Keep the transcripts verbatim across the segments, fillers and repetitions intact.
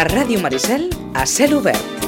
A Ràdio Maricel, a cel obert.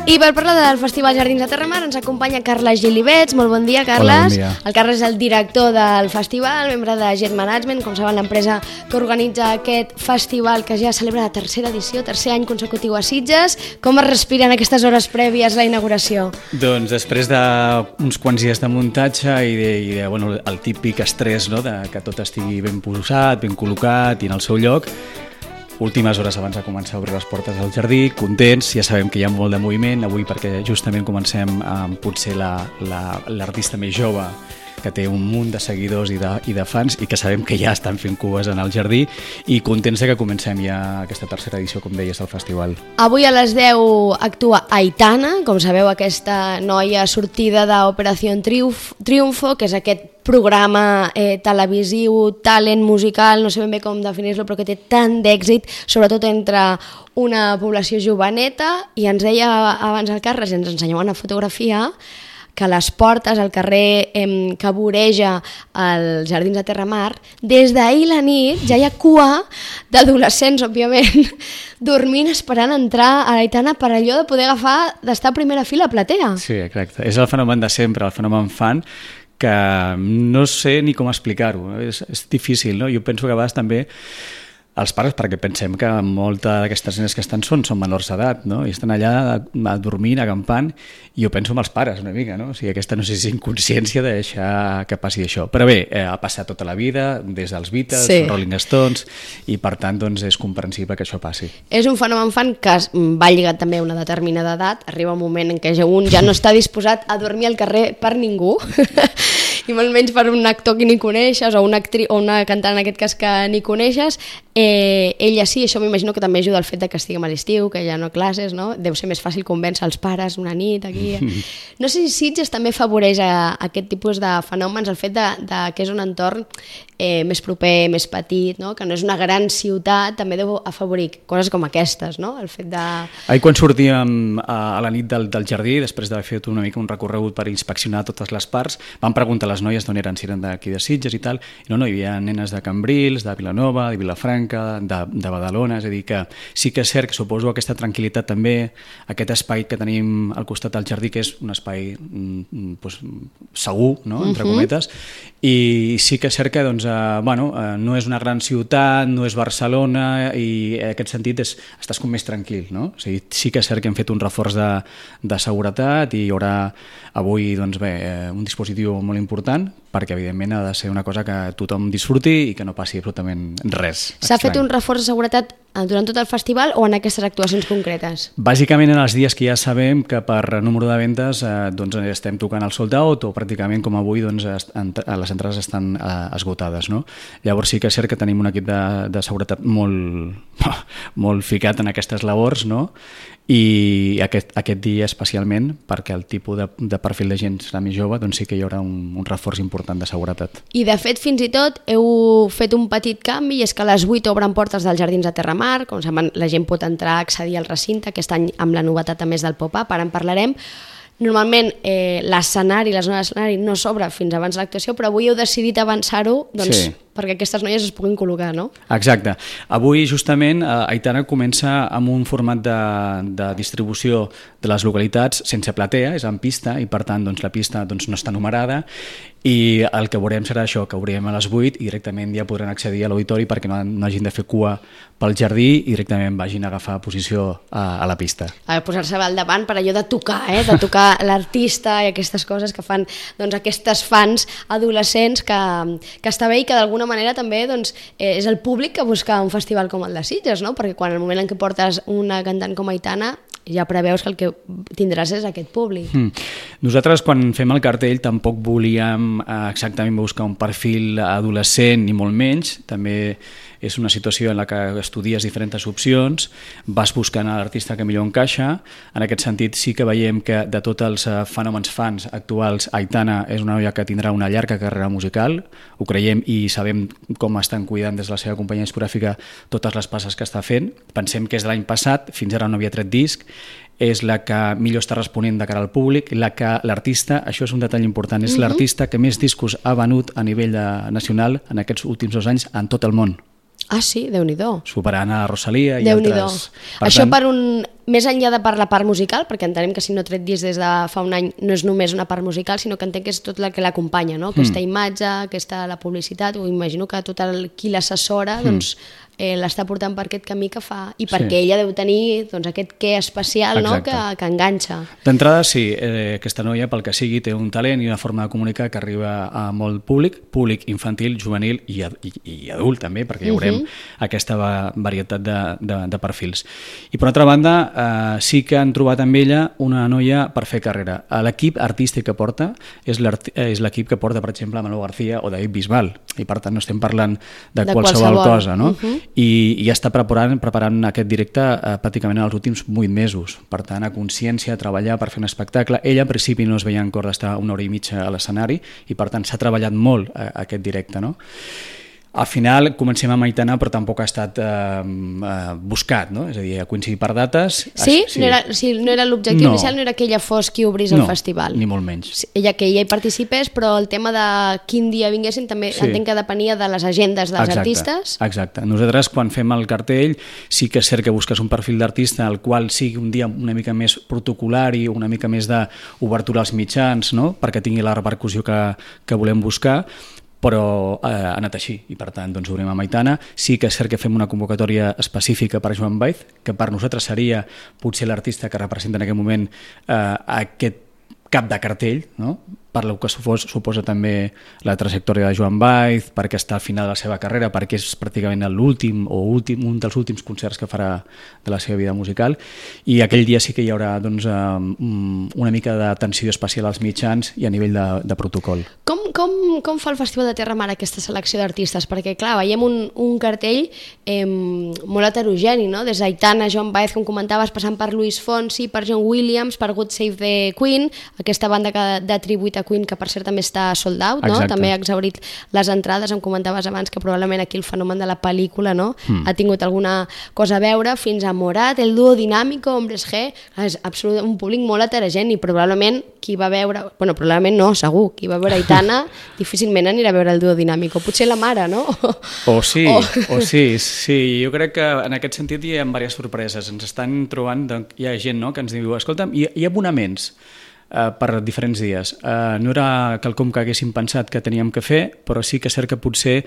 I per parlar del Festival Jardins de Terramar ens acompanya Carles Gilibets. Molt bon dia, Carles. Hola, bon dia. El Carles és el director del festival, membre de Jet Management, com saben, l'empresa que organitza aquest festival que ja celebra la tercera edició, tercer any consecutiu a Sitges. Com es respiren aquestes hores prèvies a la inauguració? Doncs després d'uns quants dies de muntatge i, de, i de, bueno, el típic estrès, no?, de que tot estigui ben posat, ben col·locat i en el seu lloc, últimes hores abans de començar a obrir les portes del jardí, contents, ja sabem que hi ha molt de moviment avui perquè justament comencem amb potser l'artista més jove que té un munt de seguidors i de, i de fans i que sabem que ja estan fent cues en el jardí i contents que comencem ja aquesta tercera edició, com deies, del festival. Avui a les deu actua Aitana, com sabeu, aquesta noia sortida d'Operació Triunfo, que és aquest programa eh, televisiu, talent musical, no sé ben bé com definir-lo, però que té tant d'èxit, sobretot entre una població joveneta, i ens deia abans el Carles, ens ensenyava una fotografia que a les portes, al carrer eh, que voreja els Jardins de Terramar, des d'ahir la nit ja hi ha cua d'adolescents, òbviament, dormint, esperant entrar a l'Aitana per allò de poder agafar, d'estar a primera fila a platea. Sí, exacte. És el fenomen de sempre, el fenomen fan, que no sé ni com explicar-ho. És, és difícil, no? Jo penso que a vegades també els pares, perquè pensem que molta d'aquestes nenes que estan són, són menors d'edat, no? I estan allà dormint, acampant, i jo penso en els pares una mica, no? O sigui, aquesta no sé si és inconsciència de deixar que passi això. Però bé, eh, ha passat tota la vida, des dels Beatles, sí. Rolling Stones, i per tant doncs, és comprensible que això passi. És un fenomen fan que va lligat també a una determinada edat, arriba un moment en què un ja no està disposat a dormir al carrer per ningú, i molt menys per un actor que ni coneixes o una, actriu, o una cantant en aquest cas que ni coneixes. Eh, ella sí, això m'imagino que també ajuda al fet de que estiguem a l'estiu, que hi ha no classes, no? Deu ser més fàcil convèncer els pares una nit aquí. No sé si Sitges també afavoreix a, a aquest tipus de fenòmens, el fet de, de que és un entorn eh, més proper, més petit, no? Que no és una gran ciutat, també deu afavorir coses com aquestes, no? El fet de... Ahir quan sortíem a, a la nit del, del jardí, després d'haver fet una mica un recorregut per inspeccionar totes les parts, vam preguntar a les noies d'on eren, si eren d'aquí de Sitges i tal, i no, no, hi havia nenes de Cambrils, de Vilanova, de Vilafranca, de, de Badalona, és a dir que sí que és cert que suposo aquesta tranquil·litat també, aquest espai que tenim al costat del jardí, que és un espai mm, pues, segur, no?, entre uh-huh. cometes, i sí que és cert que doncs, eh, bueno, eh, no és una gran ciutat, no és Barcelona, i en aquest sentit és, estàs com més tranquil, no? O sigui, sí que és cert que hem fet un reforç de, de seguretat i hi haurà avui doncs, bé, un dispositiu molt important perquè evidentment ha de ser una cosa que tothom disfruti i que no passi absolutament res. S'ha fet un reforç de seguretat durant tot el festival o en aquestes actuacions concretes? Bàsicament en els dies que ja sabem que per número de vendes eh, doncs estem tocant el sold out o pràcticament com avui doncs, les entrades estan eh, esgotades, no? Llavors sí que és cert que tenim un equip de, de seguretat molt, molt ficat en aquestes labors, no? I aquest, aquest dia especialment perquè el tipus de, de perfil de gent serà més jove, doncs sí que hi haurà un, un reforç important de seguretat. I de fet fins i tot heu fet un petit canvi i és que a les vuit obren portes dels Jardins de Terramar, com saben la gent pot entrar a accedir al recinte, aquest any amb la novetat a més del pop-up, ara en parlarem. Normalment eh, l'escenari, la zona d'escenari no s'obre fins abans de l'actuació, però avui heu decidit avançar-ho doncs, sí. perquè aquestes noies es puguin col·locar, no? Exacte. Avui justament eh, Aitana comença amb un format de, de distribució de les localitats sense platea, és en pista i per tant doncs, la pista doncs, no està numerada i el que veurem serà això, que obrirem a les vuit i directament ja podran accedir a l'auditori perquè no, no hagin de fer cua pel jardí i directament vagin a agafar posició a, a la pista. A posar-se al davant per allò de tocar, eh? de tocar l'artista i aquestes coses que fan doncs, aquestes fans adolescents que, que està bé i que d'alguna manera també doncs, eh, és el públic que busca un festival com el de Sitges, no? Perquè quan el moment en què portes una cantant com Aitana ja preveus que el que tindràs és aquest públic. Mm. Nosaltres quan fem el cartell tampoc volíem eh, exactament buscar un perfil adolescent ni molt menys, també és una situació en la que estudies diferents opcions, vas buscant l'artista que millor encaixa. En aquest sentit sí que veiem que de tots els fenòmens fans actuals, Aitana és una noia que tindrà una llarga carrera musical, ho creiem i sabem com estan cuidant des de la seva companyia discogràfica totes les passes que està fent. Pensem que és de l'any passat, fins ara no havia tret disc, és la que millor està responent de cara al públic, la que l'artista, això és un detall important, és uh-huh. l'artista que més discos ha venut a nivell de, nacional en aquests últims dos anys en tot el món. Ah, sí? Déu-n'hi-do. Superant a Rosalía i Déu-n'hi-do. altres. Per Això tant... per un... Més enllà de per la part musical, perquè entenem que si no tret disc des de fa un any no és només una part musical, sinó que entenc que és tot el que l'acompanya, no? Aquesta mm. imatge, aquesta la publicitat, o imagino que tot el qui l'assessora, mm. doncs, eh, l'està portant per aquest camí que fa, i perquè sí. ella deu tenir doncs, aquest què especial, no? que, que enganxa. D'entrada, sí, eh, aquesta noia, pel que sigui, té un talent i una forma de comunicar que arriba a molt públic, públic infantil, juvenil i, i, i adult també, perquè hi haurem uh-huh. aquesta varietat de, de, de perfils. I per altra banda, eh, sí que han trobat amb ella una noia per fer carrera. L'equip artístic que porta és l'equip que porta, per exemple, Manolo García o David Bisbal, i per tant no estem parlant de, de qualsevol, qualsevol cosa, no? Uh-huh. I, i ja està preparant, preparant aquest directe eh, pràcticament en els últims vuit mesos. Per tant, a consciència, a treballar per fer un espectacle. Ella, al principi, no es veia en cor d'estar una hora i mitja a l'escenari i, per tant, s'ha treballat molt eh, aquest directe, no? Al final comencem amb Aitana, però tampoc ha estat eh, eh, buscat, no? És a dir, ha coincidit per dates. Sí? sí. No era, sí, no era l'objectiu no. inicial, no era que ella fos qui obrís el no, festival. Ni molt menys. Sí, ella que ella hi participés, però el tema de quin dia vinguessin també sí. entenc que depenia de les agendes dels exacte, artistes. Exacte. Nosaltres, quan fem el cartell, sí que és cert que busques un perfil d'artista al qual sigui un dia una mica més protocolar i una mica més d'obertura als mitjans, no? Perquè tingui la repercussió que, que volem buscar, però eh, ha anat així i per tant doncs obrim amb Aitana. Sí que és cert que fem una convocatòria específica per Joan Baez, que per nosaltres seria potser l'artista que representa en aquest moment eh, aquest cap de cartell, no? Per lo que supos, suposa també la trajectòria de Joan Baez, perquè està al final de la seva carrera, perquè és pràcticament l'últim o últim, un dels últims concerts que farà de la seva vida musical, i aquell dia sí que hi haurà doncs, una mica d'atenció especial als mitjans i a nivell de, de protocol. Com, com, com fa el Festival de Terra Mar aquesta selecció d'artistes? Perquè clar, veiem un, un cartell eh, molt heterogeni, no? Des d'Aitana, Joan Baez, com comentaves, passant per Luis Fonsi, per John Williams, per God Save the Queen, aquesta banda que, de tribut a Queen, que per cert també està sold out, no? També ha exhaurit les entrades. Em comentaves abans que probablement aquí el fenomen de la pel·lícula, no? Mm. ha tingut alguna cosa a veure, fins a Morat, el dúo Dinámico, Hombres G, és absolut, un públic molt heterogeni, probablement qui va veure, bueno, probablement no, segur, qui va veure Aitana difícilment anirà a veure el dúo Dinámico, potser la mare, no? O sí, o, o sí, sí, jo crec que en aquest sentit hi ha diverses sorpreses, ens estan trobant, doncs, hi ha gent, no?, que ens diu, escolta'm, hi, hi ha abonaments Uh, per diferents dies. Uh, no era quelcom que haguéssim pensat que teníem que fer, però sí que és cert que potser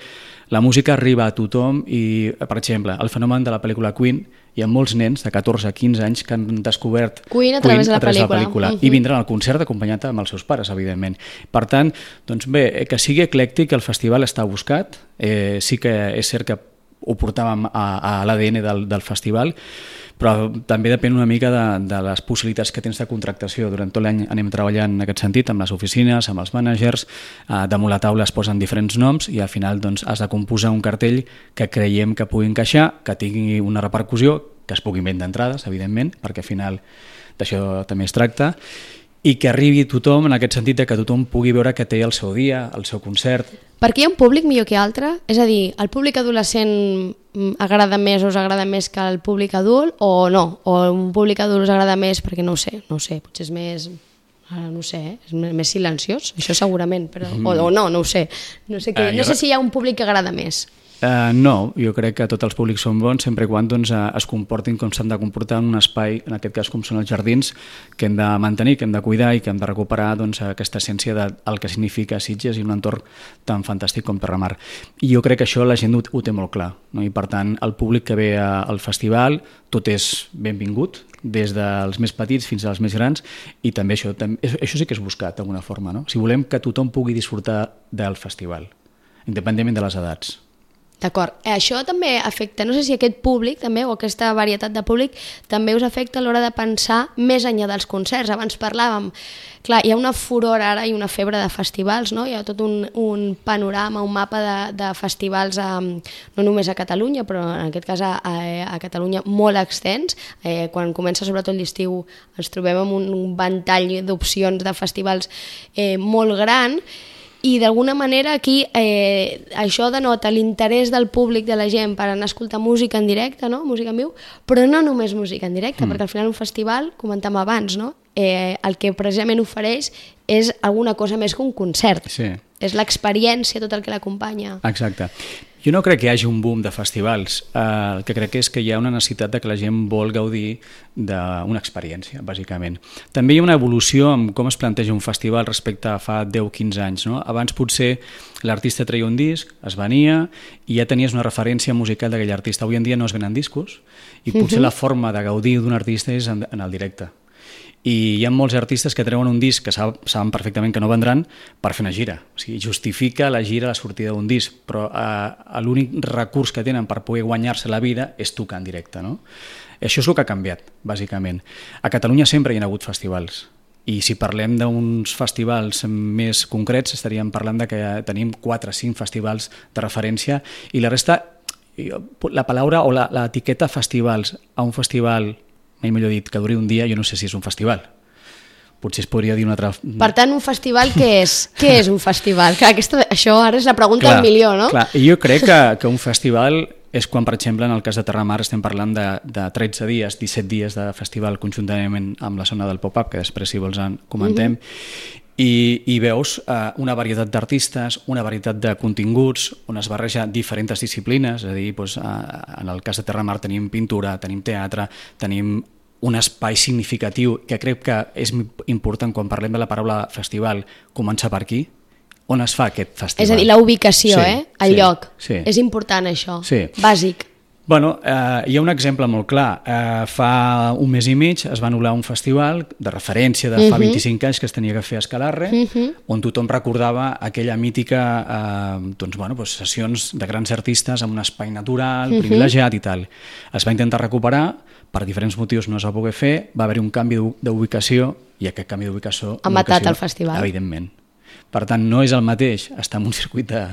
la música arriba a tothom i, per exemple, el fenomen de la pel·lícula Queen, hi ha molts nens de catorze a quinze anys que han descobert Queen a través de la pel·lícula, la pel·lícula. Uh-huh. I vindran al concert acompanyat amb els seus pares, evidentment. Per tant, doncs bé, que sigui eclèctic, el festival està buscat, eh, sí que és cert que ho portàvem a, a l'A D N del, del festival, però també depèn una mica de, de les possibilitats que tens de contractació. Durant tot l'any anem treballant en aquest sentit, amb les oficines, amb els mànagers, eh, damunt la taula es posen diferents noms i al final doncs, has de composar un cartell que creiem que pugui encaixar, que tingui una repercussió, que es pugui vendre entrades, evidentment, perquè al final d'això també es tracta, i que arribi a tothom en aquest sentit de que tothom pugui veure que té el seu dia, el seu concert. Perquè hi ha un públic millor que altre? És a dir, el públic adolescent agrada més o us agrada més que el públic adult o no? O un públic adult us agrada més perquè no ho sé, no ho sé, potser és més... Ara no ho sé, eh? És més silenciós, això segurament, però... Mm. o, o no, no ho sé. No sé, que... uh, no sé si hi ha un públic que agrada més. Uh, no, jo crec que tots els públics són bons sempre i quan doncs, uh, es comportin com s'han de comportar en un espai, en aquest cas com són els jardins, que hem de mantenir, que hem de cuidar i que hem de recuperar doncs, aquesta essència del que significa Sitges i un entorn tan fantàstic com Terra Mar. I jo crec que això la gent ho, ho té molt clar, no? I per tant el públic que ve a, al festival tot és benvingut, des dels més petits fins als més grans, i també això, també, això sí que és buscat d'alguna forma, no? Si volem que tothom pugui disfrutar del festival, independentment de les edats. D'acord. Això també afecta, no sé si aquest públic també, o aquesta varietat de públic, també us afecta a l'hora de pensar més enllà dels concerts. Abans parlàvem, clar, hi ha una furor ara i una febre de festivals, no? Hi ha tot un, un panorama, un mapa de, de festivals, a, no només a Catalunya, però en aquest cas a, a, a Catalunya molt extens. Eh, quan comença sobretot l'estiu ens trobem amb un, un ventall d'opcions de festivals eh, molt gran. i d'alguna manera aquí eh, això denota l'interès del públic, de la gent, per anar a escoltar música en directe, no? Música en viu, però no només música en directe, mm. perquè al final un festival, comentàvem abans, no? eh, el que precisament ofereix és alguna cosa més que un concert. Sí. És l'experiència, tot el que l'acompanya. Exacte. Jo no crec que hi hagi un boom de festivals. Uh, el que crec és que hi ha una necessitat de que la gent vol gaudir d'una experiència, bàsicament. També hi ha una evolució en com es planteja un festival respecte a fa deu a quinze anys. No? Abans potser l'artista treia un disc, es venia i ja tenies una referència musical d'aquell artista. Avui en dia no es venen discos i potser uh-huh. la forma de gaudir d'un artista és en, en el directe. I hi ha molts artistes que treuen un disc que saben perfectament que no vendran per fer una gira. O sigui, justifica la gira la sortida d'un disc, però eh, l'únic recurs que tenen per poder guanyar-se la vida és tocar en directe. No? Això és el que ha canviat, bàsicament. A Catalunya sempre hi ha hagut festivals. I si parlem d'uns festivals més concrets, estaríem parlant de que tenim quatre o cinc festivals de referència i la resta, la paraula o l'etiqueta festivals a un festival, mai millor dit, que duri un dia, jo no sé si és un festival. Potser es podria dir un altre... Per tant, un festival què és? Què és un festival? Clar, aquesta, això ara és la pregunta clar, del milió, no? Clar, i jo crec que, que un festival és quan, per exemple, en el cas de Terramar estem parlant de, de tretze dies, disset dies de festival conjuntament amb la zona del pop-up, que després, si vols, en comentem, uh-huh. I, i veus eh, una varietat d'artistes, una varietat de continguts, on es barreja diferents disciplines, és a dir, doncs, eh, en el cas de Terramar tenim pintura, tenim teatre, tenim un espai significatiu que crec que és important quan parlem de la paraula festival, començar per aquí, on es fa aquest festival. És a dir, la ubicació, sí, eh? El sí, lloc. Sí. És important això, sí. Bàsic. Bueno, eh, hi ha un exemple molt clar. Eh, fa un mes i mig es va anul·lar un festival de referència de fa uh-huh. vint-i-cinc anys que es tenia que fer a Escalarre, uh-huh. on tothom recordava aquella mítica eh, doncs, bueno, doncs, sessions de grans artistes amb un espai natural, uh-huh. privilegiat i tal. Es va intentar recuperar, per diferents motius no es va poder fer, va haver-hi un canvi d'ubicació i aquest canvi d'ubicació... Ha matat el festival. Evidentment. Per tant, no és el mateix estar en un circuit de,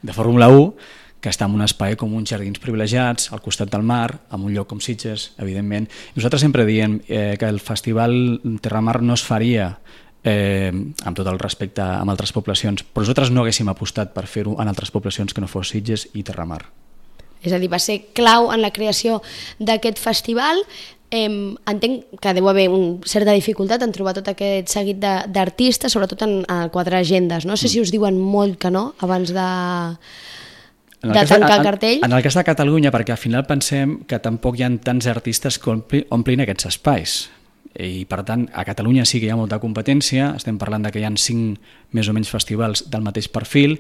de Fórmula u que està en un espai com uns jardins privilegiats, al costat del mar, en un lloc com Sitges, evidentment. Nosaltres sempre diem eh, que el festival Terramar no es faria eh, amb tot el respecte amb altres poblacions, però nosaltres no haguéssim apostat per fer-ho en altres poblacions que no fos Sitges i Terramar. És a dir, va ser clau en la creació d'aquest festival. Eh, entenc que deu haver una certa dificultat en trobar tot aquest seguit d'artistes, sobretot en, en quatre agendes. No sé si us diuen molt que no abans de... de tancar el cartell? En el cas de Catalunya, perquè al final pensem que tampoc hi ha tants artistes que omplin aquests espais. I per tant, a Catalunya sí que hi ha molta competència, estem parlant de que hi ha cinc més o menys festivals del mateix perfil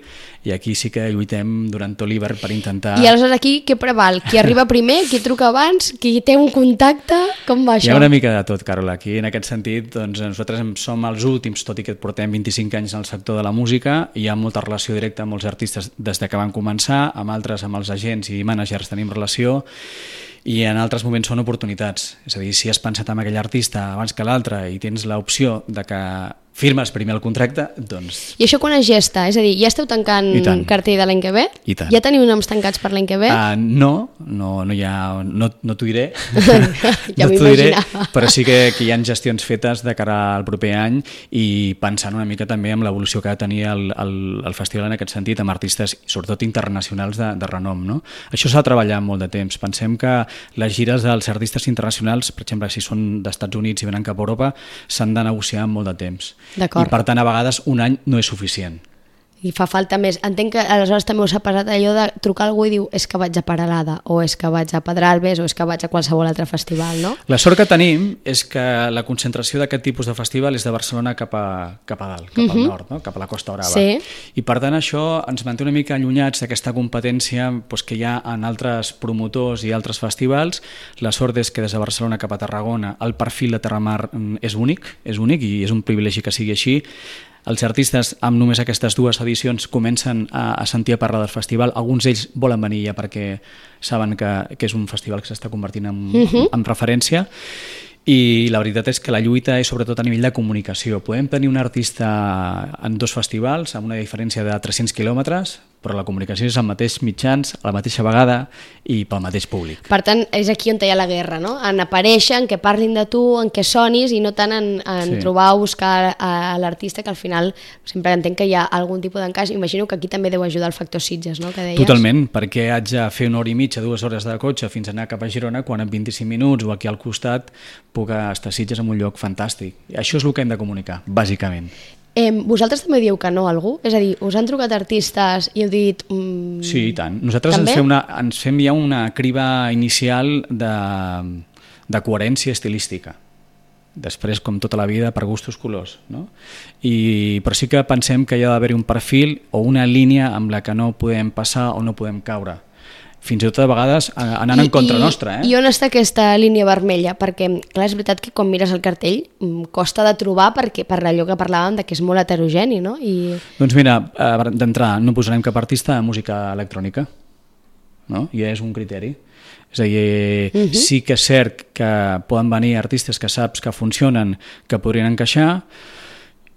i aquí sí que lluitem durant tot l'hivern per intentar... I aleshores aquí què preval? Qui arriba primer, qui truca abans, qui té un contacte, com va això? Hi ha una mica de tot, Carola. Aquí en aquest sentit doncs, nosaltres som els últims, tot i que portem vint-i-cinc anys en el sector de la música, i hi ha molta relació directa amb molts artistes des de que van començar, amb altres, amb els agents i mànagers tenim relació, i en altres moments són oportunitats. És a dir, si has pensat en aquell artista abans que l'altre i tens l'opció de que firmes primer el contracte, doncs... I això quan es gesta? És a dir, ja esteu tancant cartell de l'any que ve? I tant. Ja teniu noms tancats per l'any que ve? Uh, no, no, no, hi ha, no, no t'ho diré. Ja no m'ho imaginava. Però sí que, que hi ha gestions fetes de cara al proper any i pensant una mica també en l'evolució que ha de tenir el, el, el festival en aquest sentit, amb artistes sobretot internacionals de, de renom. No? Això s'ha de treballar molt de temps. Pensem que les gires dels artistes internacionals, per exemple, si són d'Estats Units i venen cap a Europa, s'han de negociar amb molt de temps. I per tant a vegades un any no és suficient. I fa falta més. Entenc que aleshores també us ha passat allò de trucar a algú i diu és que vaig a Peralada, o és que vaig a Pedralbes, o és que vaig a qualsevol altre festival, no? La sort que tenim és que la concentració d'aquest tipus de festival és de Barcelona cap a, cap a dalt, cap uh-huh. al nord, no? Cap a la Costa Brava. Sí. I per tant això ens manté una mica allunyats d'aquesta competència doncs, que hi ha en altres promotors i altres festivals. La sort és que des de Barcelona cap a Tarragona el perfil de Terramar és únic, és únic i és un privilegi que sigui així. Els artistes amb només aquestes dues edicions comencen a, a sentir a parlar del festival. Alguns d'ells volen venir ja perquè saben que, que és un festival que s'està convertint en, uh-huh. en referència. I la veritat és que la lluita és sobretot a nivell de comunicació. Podem tenir un artista en dos festivals amb una diferència de tres-cents quilòmetres, però la comunicació és al mateix mitjans, a la mateixa vegada i pel mateix públic. Per tant, és aquí on hi ha la guerra, no? En aparèixer, en què parlin de tu, en què sonis, i no tant en, en sí. trobar o buscar a l'artista, que al final sempre entenc que hi ha algun tipus d'encaix. Imagino que aquí també deu ajudar el factor Sitges, no?, que deies. Totalment, perquè haig de fer una hora i mitja, dues hores de cotxe fins a anar cap a Girona, quan en vint-i-cinc minuts o aquí al costat puc estar a Sitges en un lloc fantàstic. I això és el que hem de comunicar, bàsicament. Eh, vosaltres també diu que no a algú? És a dir, us han trucat artistes i heu dit... Mm, sí, i tant. Nosaltres ens fem, una, ens fem ja una criba inicial de, de coherència estilística. Després, com tota la vida, per gustos colors. No? I, però sí que pensem que hi ha d'haver un perfil o una línia amb la que no podem passar o no podem caure. Fins i tot a vegades anant I, en contra i, nostra. Eh? I on està aquesta línia vermella? Perquè, clar, és veritat que quan mires el cartell costa de trobar perquè, per allò que parlàvem de que és molt heterogeni, no? I... Doncs mira, d'entrada, no posarem cap artista de música electrònica, no? I és un criteri. És a dir, uh-huh. sí que és cert que poden venir artistes que saps que funcionen, que podrien encaixar,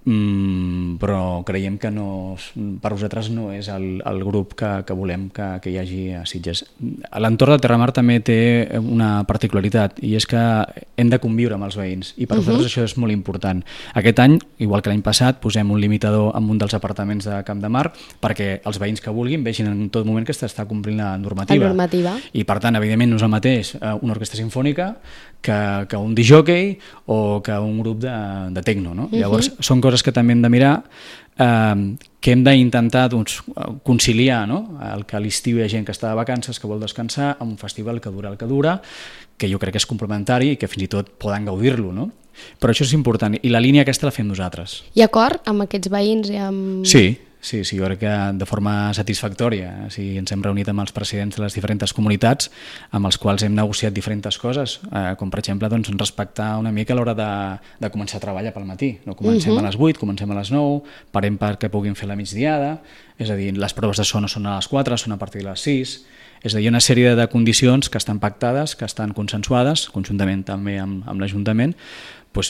Mm, però creiem que no, per vosaltres no és el, el grup que, que volem que, que hi hagi a Sitges. L'entorn de Terramar també té una particularitat i és que hem de conviure amb els veïns i per uh-huh. vosaltres això és molt important. Aquest any, igual que l'any passat, posem un limitador en un dels apartaments de Camp de Mar perquè els veïns que vulguin vegin en tot moment que s'està complint la normativa. La normativa. I per tant, evidentment, no és el mateix una orquestra sinfònica que, que un disc-jockey o que un grup de, de techno. No? Uh-huh. Llavors, són coses que també hem de mirar, eh, que hem d'intentar doncs, conciliar, no? El que a l'estiu hi ha gent que està de vacances, que vol descansar, amb un festival que dura el que dura, que jo crec que és complementari i que fins i tot poden gaudir-lo, no? Però això és important, i la línia aquesta la fem nosaltres. Hi ha acord amb aquests veïns i amb... Sí, sí, sí, jo crec que de forma satisfactòria. Sí, ens hem reunit amb els presidents de les diferents comunitats amb els quals hem negociat diferents coses, eh, com per exemple doncs, respectar una mica a l'hora de, de començar a treballar pel matí. No comencem uh-huh. a les vuit, comencem a les nou, parem perquè puguin fer la migdiada, és a dir, les proves de so no són a les quatre, són a partir de les sis, és a dir, una sèrie de condicions que estan pactades, que estan consensuades, conjuntament també amb, amb l'Ajuntament, doncs,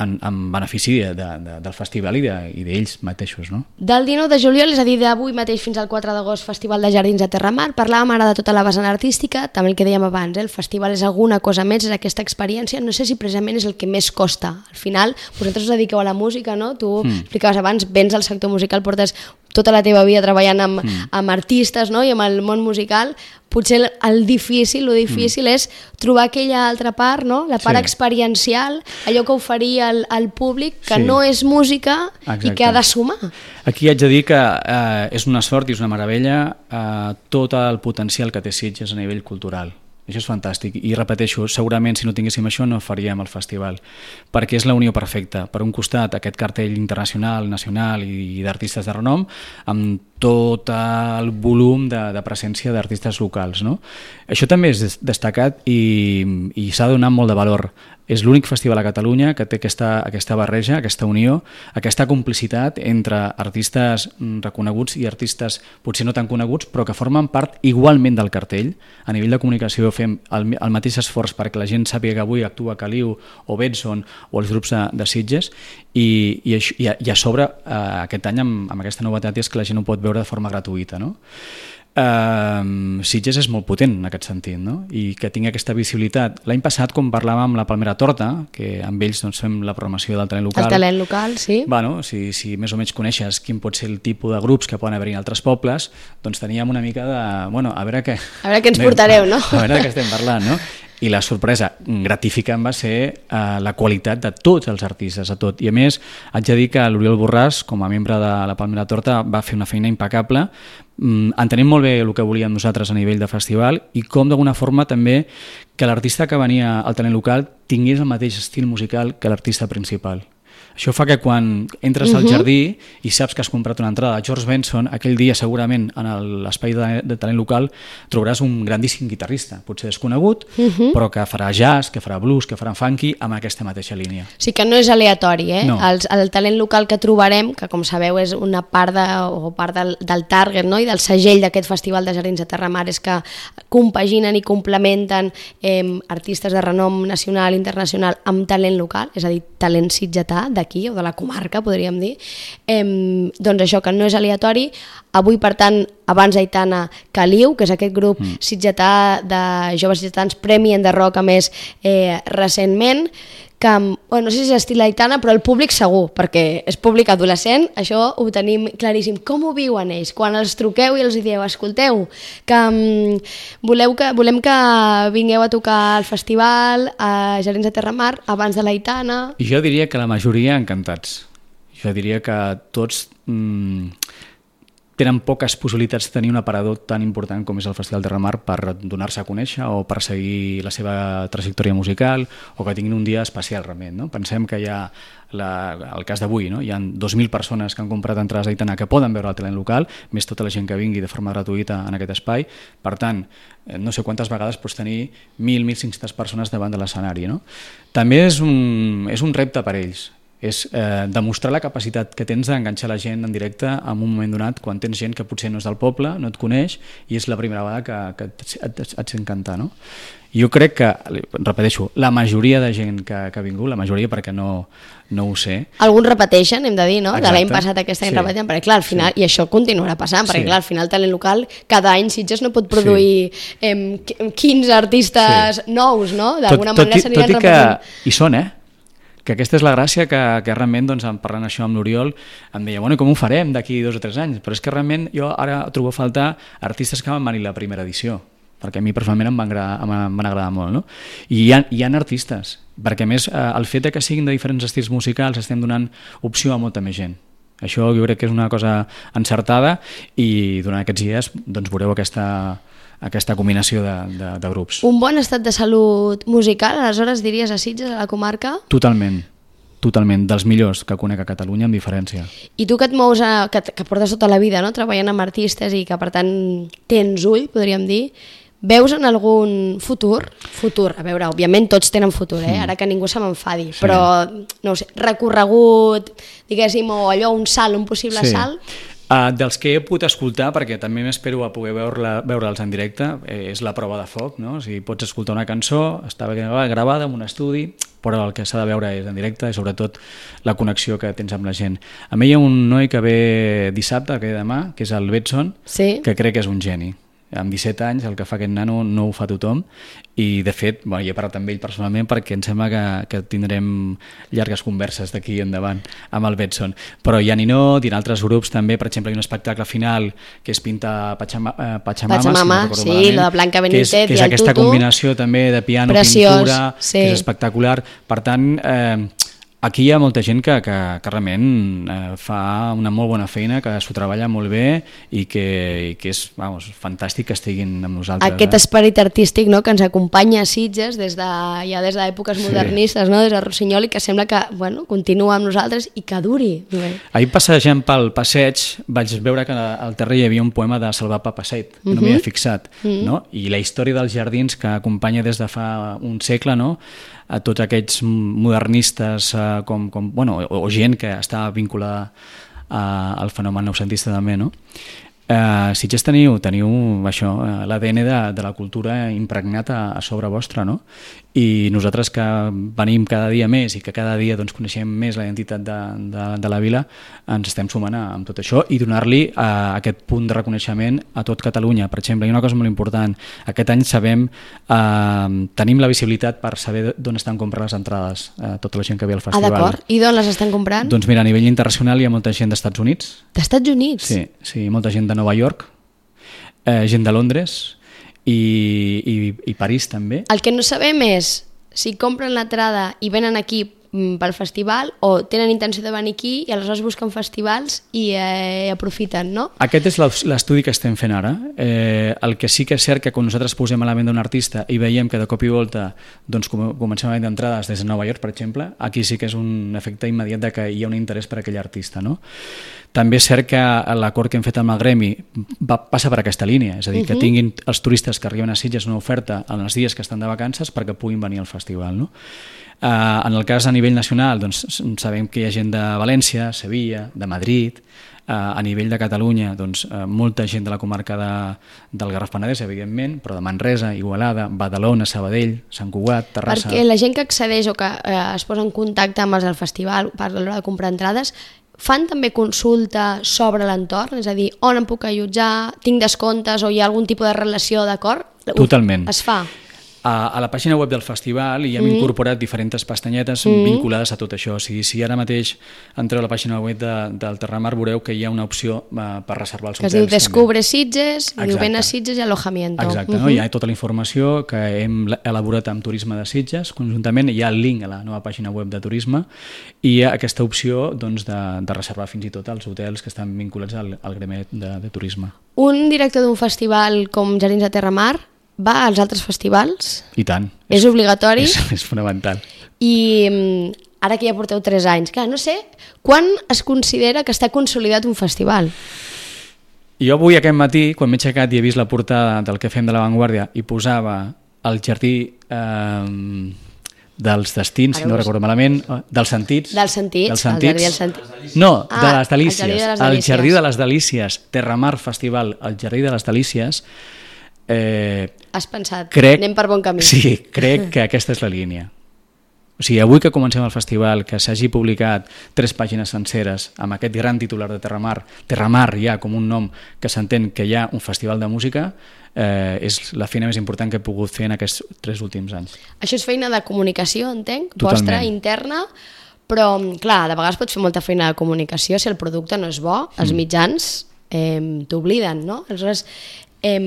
en, en benefici de, de, del festival i d'ells de, mateixos. No? Del dinou de juliol, és a dir, d'avui mateix fins al quatre d'agost, Festival de Jardins de Terramar. Parlàvem ara de tota la vessant artística, també el que dèiem abans, eh? El festival és alguna cosa més, és aquesta experiència, no sé si precisament és el que més costa. Al final, vosaltres us dediqueu a la música, no? Tu mm. explicaves abans, vens al sector musical, portes tota la teva vida treballant amb, mm. amb artistes, no? I amb el món musical. Potser el, el difícil, el difícil mm. és trobar aquella altra part, no? La part sí. experiencial, allò que oferia al, al públic, que sí. no és música Exacte. I que ha de sumar. Aquí haig de dir que eh, és una sort i és una meravella eh, tot el potencial que té Sitges a nivell cultural. Això és fantàstic i repeteixo, segurament si no tinguéssim això no faríem el festival, perquè és la unió perfecta. Per un costat aquest cartell internacional, nacional i d'artistes de renom, amb tot el volum de, de presència d'artistes locals. No? Això també és destacat i, i s'ha donat molt de valor. És l'únic festival a Catalunya que té aquesta, aquesta barreja, aquesta unió, aquesta complicitat entre artistes reconeguts i artistes potser no tan coneguts, però que formen part igualment del cartell. A nivell de comunicació fem el, el mateix esforç perquè la gent sàpiga que avui actua Caliu o Benson o els grups de, de Sitges i, i, i, a, i a sobre eh, aquest any amb, amb aquesta novetat és que la gent ho pot veure de forma gratuïta. No? Uh, Sitges és molt potent en aquest sentit, no? I que tingui aquesta visibilitat. L'any passat, com parlàvem amb la Palmera Torta, que amb ells doncs, fem la programació del talent local... El talent local, sí. Bueno, si, si més o menys coneixes quin pot ser el tipus de grups que poden haver-hi en altres pobles, doncs teníem una mica de... Bueno, a veure què... A veure què ens portareu, no? A veure de què estem parlant, no? I la sorpresa gratificant va ser eh, la qualitat de tots els artistes, a tot. I a més, haig de dir que l'Oriol Borràs, com a membre de la Palmera Torta, va fer una feina impecable, mm, entenem molt bé el que volíem nosaltres a nivell de festival i com d'alguna forma també que l'artista que venia al talent local tingués el mateix estil musical que l'artista principal. Això fa que quan entres al jardí i saps que has comprat una entrada de George Benson, aquell dia segurament en l'espai de, de talent local trobaràs un grandíssim guitarrista, potser desconegut, uh-huh. però que farà jazz, que farà blues, que farà funky amb aquesta mateixa línia. Sí que no és aleatori, eh? No. El, el talent local que trobarem, que com sabeu és una part, de, o part del, del target, no? I del segell d'aquest Festival de Jardins de Terramar, és que compaginen i complementen eh, artistes de renom nacional i internacional amb talent local, és a dir, talent sitgetà, ciutat d'aquí, o de la comarca, podríem dir. Eh, doncs això, que no és aleatori. Avui, per tant, abans Aitana, Caliu, que és aquest grup mm. sitgetà de joves sitgetans Premi en de Rock, a més, eh, recentment, que, bueno, no sé si és estil Aitana, però el públic segur, perquè és públic adolescent, això ho tenim claríssim. Com ho viuen ells? Quan els truqueu i els dieu, escolteu, que um, voleu que, volem que vingueu a tocar al festival a Jardins de Terramar abans de l'Aitana... Jo diria que la majoria encantats. Jo diria que tots... Mm, tenen poques possibilitats de tenir un aparador tan important com és el Festival de Terramar per donar-se a conèixer o per seguir la seva trajectòria musical o que tinguin un dia especial realment. No? Pensem que hi ha la, el cas d'avui, no? Hi ha dos mil persones que han comprat entrades a Aitana que poden veure el talent local, més tota la gent que vingui de forma gratuïta en aquest espai. Per tant, no sé quantes vegades pots tenir mil, mil cinc-centes persones davant de l'escenari. No? També és un, és un repte per ells. És eh, demostrar la capacitat que tens d'enganxar la gent en directe en un moment donat quan tens gent que potser no és del poble, no et coneix i és la primera vegada que, que et, et, et sent cantar, no? Jo crec que, repeteixo, la majoria de gent que, que ha vingut, la majoria perquè no, no ho sé... Alguns repeteixen, hem de dir, no? Exacte. De l'any passat aquest any sí. repeteixen, perquè clar, al final, sí. i això continuarà passant, perquè sí. clar, al final el talent local, cada any Sitges no pot produir sí. eh, quinze artistes sí. nous, no? D'alguna manera s'aniran repetint. Tot i que hi són, eh? Que aquesta és la gràcia que, que realment, doncs, parlant això amb l'Oriol, em deia, bueno, com ho farem d'aquí dos o tres anys? Però és que realment jo ara trobo a faltar artistes que van venir la primera edició, perquè a mi personalment em van agradar, em van agradar molt, no? I hi ha, hi ha artistes, perquè a més el fet que siguin de diferents estils musicals estem donant opció a molta més gent. Això jo crec que és una cosa encertada i durant aquests dies doncs, veureu aquesta... aquesta combinació de, de, de grups. Un bon estat de salut musical, aleshores diries a Sitges, a la comarca? Totalment, totalment, dels millors que conec a Catalunya amb diferència. I tu que et mous, a, que, que portes tota la vida no? treballant amb artistes i que per tant tens ull, podríem dir, veus en algun futur? Futur, a veure, òbviament tots tenen futur, eh? Ara que ningú se m'enfadi, sí. però no ho sé, recorregut, diguéssim, o allò, un salt, un possible sí. salt... Uh, dels que he pogut escoltar, perquè també m'espero a poder veure-la, veure'ls en directe, eh, és la prova de foc, no? O sigui, pots escoltar una cançó, està gravada en un estudi, però el que s'ha de veure és en directe i sobretot la connexió que tens amb la gent. A mi hi ha un noi que ve dissabte, que ve demà, que és el Betson, sí. que crec que és un geni. Amb disset anys, el que fa aquest nano no ho fa tothom i de fet, bueno, jo he parlat amb ell personalment perquè em sembla que, que tindrem llargues converses d'aquí endavant amb el Betson, però hi ha Ninot i en altres grups també, per exemple hi ha un espectacle final que és Pinta Pachama, eh, Pachamama, Pachamama si no sí, malament, la de Blanca Benítez que és, que és i el aquesta tutu. Combinació també de piano, Preciós, pintura, sí. que és espectacular, per tant eh, aquí hi ha molta gent que, que, que realment eh, fa una molt bona feina, que s'ho treballa molt bé i que, i que és vamos, fantàstic que estiguin amb nosaltres. Aquest eh? esperit artístic no, que ens acompanya a Sitges des de, ja des d'èpoques modernistes, sí. no, des de Rossinyol, i que sembla que bueno, continua amb nosaltres i que duri. Bé. Ahir passejant pel passeig vaig veure que al terrer hi havia un poema de Salvar Papasseit, que uh-huh. no m'hi havia fixat, uh-huh. no? I la història dels jardins que acompanya des de fa un segle, no? A tots aquests modernistes eh, com, com, bueno, o, o gent que està vinculada a, al fenomen noucentista també, no? Eh, Sitges teniu, teniu això, l'A D N de, de la cultura impregnat a, a sobre vostre, no? I nosaltres que venim cada dia més i que cada dia doncs, coneixem més la identitat de, de, de la vila, ens estem sumant a, amb tot això i donar-li eh, aquest punt de reconeixement a tot Catalunya. Per exemple, hi ha una cosa molt important, aquest any sabem, eh, tenim la visibilitat per saber d'on estan comprant les entrades eh, tota la gent que ve al festival. Ah, d'acord. I d'on les estan comprant? Doncs mira, a nivell internacional hi ha molta gent d'Estats Units. D'Estats Units? Sí, sí, molta gent de Nova York, eh, gent de Londres i, i, i París també. El que no sabem és si compren l'entrada i venen aquí pel festival o tenen intenció de venir aquí i aleshores busquen festivals i eh, aprofiten, no? Aquest és l'estudi que estem fent ara. Eh, el que sí que és cert que quan nosaltres posem a la venda d'un artista i veiem que de cop i volta doncs, comencem a vendre entrades des de Nova York, per exemple, aquí sí que és un efecte immediat de que hi ha un interès per aquell artista, no? També és cert que l'acord que hem fet amb el Gremi va, passa per aquesta línia, és a dir, que tinguin els turistes que arriben a Sitges una oferta en els dies que estan de vacances perquè puguin venir al festival, no? Uh, en el cas a nivell nacional, doncs, sabem que hi ha gent de València, Sevilla, de Madrid. Uh, a nivell de Catalunya, doncs, uh, molta gent de la comarca de, del Garraf-Penedès, evidentment, però de Manresa, Igualada, Badalona, Sabadell, Sant Cugat, Terrassa... Perquè la gent que accedeix o que eh, es posa en contacte amb els del festival per l'hora de comprar entrades, fan també consulta sobre l'entorn? És a dir, on em puc allotjar, tinc descomptes o hi ha algun tipus de relació, d'acord? Totalment. Es fa? A, a la pàgina web del festival hi hem mm. incorporat diferents pestanyetes mm. vinculades a tot això. O sigui, si ara mateix entreu a la pàgina web de, del Terramar veureu que hi ha una opció uh, per reservar els que hotels. Que es diu Descubre Sitges, i diu ven a Sitges i alojamiento. Exacte, uh -huh. no? Hi ha tota la informació que hem elaborat amb Turisme de Sitges conjuntament, hi ha el link a la nova pàgina web de Turisme i hi ha aquesta opció doncs, de, de reservar fins i tot els hotels que estan vinculats al, al gremi de, de turisme. Un director d'un festival com Jardins de Terramar va als altres festivals? I tant. És, és obligatori? És, és fonamental. I ara que ja porteu tres anys, clar, no sé, quan es considera que està consolidat un festival? Jo avui aquest matí, quan m'he aixecat i he vist la portada del que fem de l'avantguàrdia i posava el jardí eh, dels destins, si no recordo malament, dels sentits. Dels sentits, dels sentits. El jardí dels sentits. No, ah, de les delícies. El jardí de les delícies. delícies. El jardí de les delícies, Terramar Festival, el jardí de les delícies. Eh, Has pensat, crec, anem per bon camí. Sí, crec que aquesta és la línia. O sigui, avui que comencem el festival, que s'hagi publicat tres pàgines senceres amb aquest gran titular de Terramar, Terramar ja com un nom que s'entén que hi ha un festival de música, eh, és la feina més important que he pogut fer en aquests tres últims anys. Això és feina de comunicació, entenc, Totalment. Vostra, interna, però, clar, de vegades pots fer molta feina de comunicació si el producte no és bo, els mitjans eh, t'obliden, no? Aleshores, eh,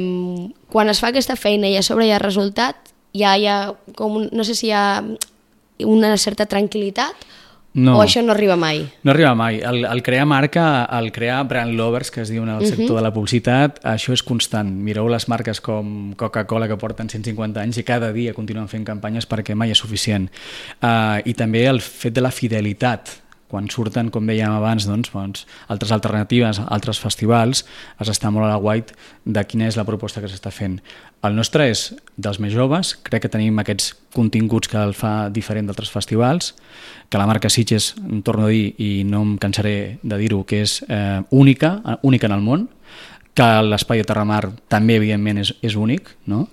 quan es fa aquesta feina i a sobre hi ha resultat, ja hi ha com un, no sé si hi ha una certa tranquil·litat no. O això no arriba mai? No arriba mai. El, el crear marca, el crear brand lovers, que es diu en el sector uh -huh. de la publicitat, això és constant. Mireu les marques com Coca-Cola, que porten cent cinquanta anys i cada dia continuen fent campanyes perquè mai és suficient. Uh, I també el fet de la fidelitat. Quan surten, com dèiem abans, doncs, doncs, altres alternatives, altres festivals, has d'estar molt a la guait de quina és la proposta que s'està fent. El nostre és dels més joves, crec que tenim aquests continguts que el fa diferent d'altres festivals, que la marca Sitges, em torno a dir, i no em cansaré de dir-ho, que és eh, única, única en el món, que l'espai de Terramar també, evidentment, és, és únic, no?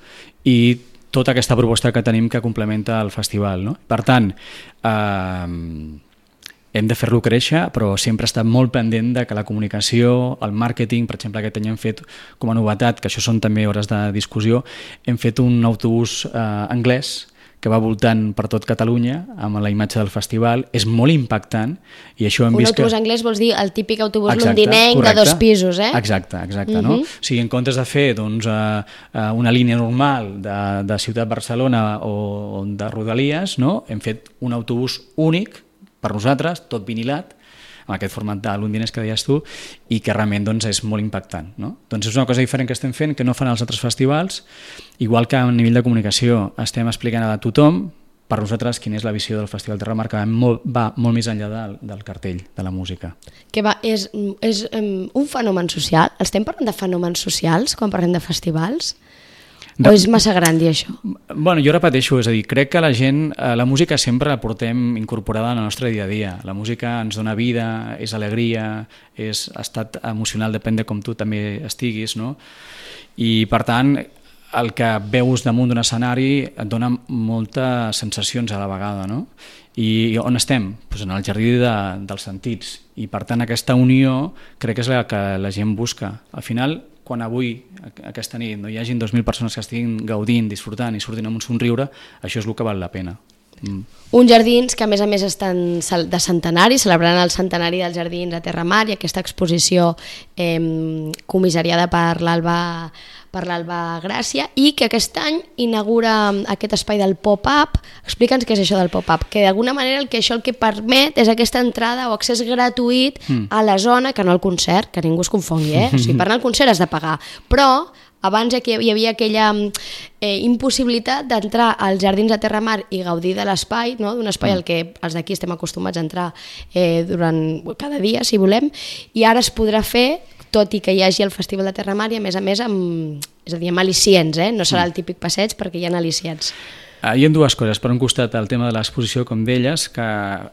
I tota aquesta proposta que tenim que complementa el festival, no? Per tant, eh, hem de fer-lo créixer, però sempre ha estat molt pendent de que la comunicació, el màrqueting, per exemple, aquest any hem fet com a novetat, que això són també hores de discussió, hem fet un autobús eh, anglès que va voltant per tot Catalunya amb la imatge del festival, és molt impactant i això hem un vist que... Un autobús anglès vols dir el típic autobús exacte, londinenc correcte, de dos pisos, eh? Exacte, exacte, uh-huh. no? O sigui, en comptes de fer doncs, uh, uh, una línia normal de, de Ciutat-Barcelona o, o de Rodalies, no? Hem fet un autobús únic per nosaltres, tot vinilat, amb aquest format de londinès que deies tu, i que realment doncs, és molt impactant. No? Doncs és una cosa diferent que estem fent, que no fan els altres festivals, igual que a nivell de comunicació estem explicant a tothom, per nosaltres, quina és la visió del Festival Terramar, que va molt, va molt més enllà del, del cartell, de la música. Que va, és, és um, un fenomen social? Estem parlant de fenòmens socials quan parlem de festivals? O és massa gran dir això? Bueno, jo repeteixo, és a dir, crec que la gent, la música sempre la portem incorporada en el nostre dia a dia. La música ens dona vida, és alegria, és estat emocional, depèn de com tu també estiguis, no? I per tant, el que veus damunt d'un escenari et dona moltes sensacions a la vegada, no? I on estem? Pues en el jardí de, dels sentits. I per tant aquesta unió crec que és la que la gent busca. Al final, quan avui, aquesta nit, no hi hagin dos mil persones que estiguin gaudint, disfrutant i sortint amb un somriure, això és el que val la pena. Mm. Uns jardins que a més a més estan de centenari, celebrant el centenari dels jardins a Terramar i aquesta exposició eh, comissariada per l'Alba per l'Alba Gràcia i que aquest any inaugura aquest espai del pop-up. Explica'ns què és això del pop-up, que d'alguna manera el que això el que permet és aquesta entrada o accés gratuït mm. a la zona, que no al concert, que ningú es confongui, eh? O sigui, per anar al concert has de pagar, però abans hi havia aquella eh, impossibilitat d'entrar als jardins de Terramar i gaudir de l'espai, no? D'un espai mm. al que els d'aquí estem acostumats a entrar eh, durant cada dia, si volem, i ara es podrà fer tot i que hi hagi el Festival de Terramar i a més a més amb, és a dir, amb al·licients, eh? No serà el típic passeig perquè hi ha al·licients. Hi ha dues coses. Per un costat, el tema de l'exposició, com deies, que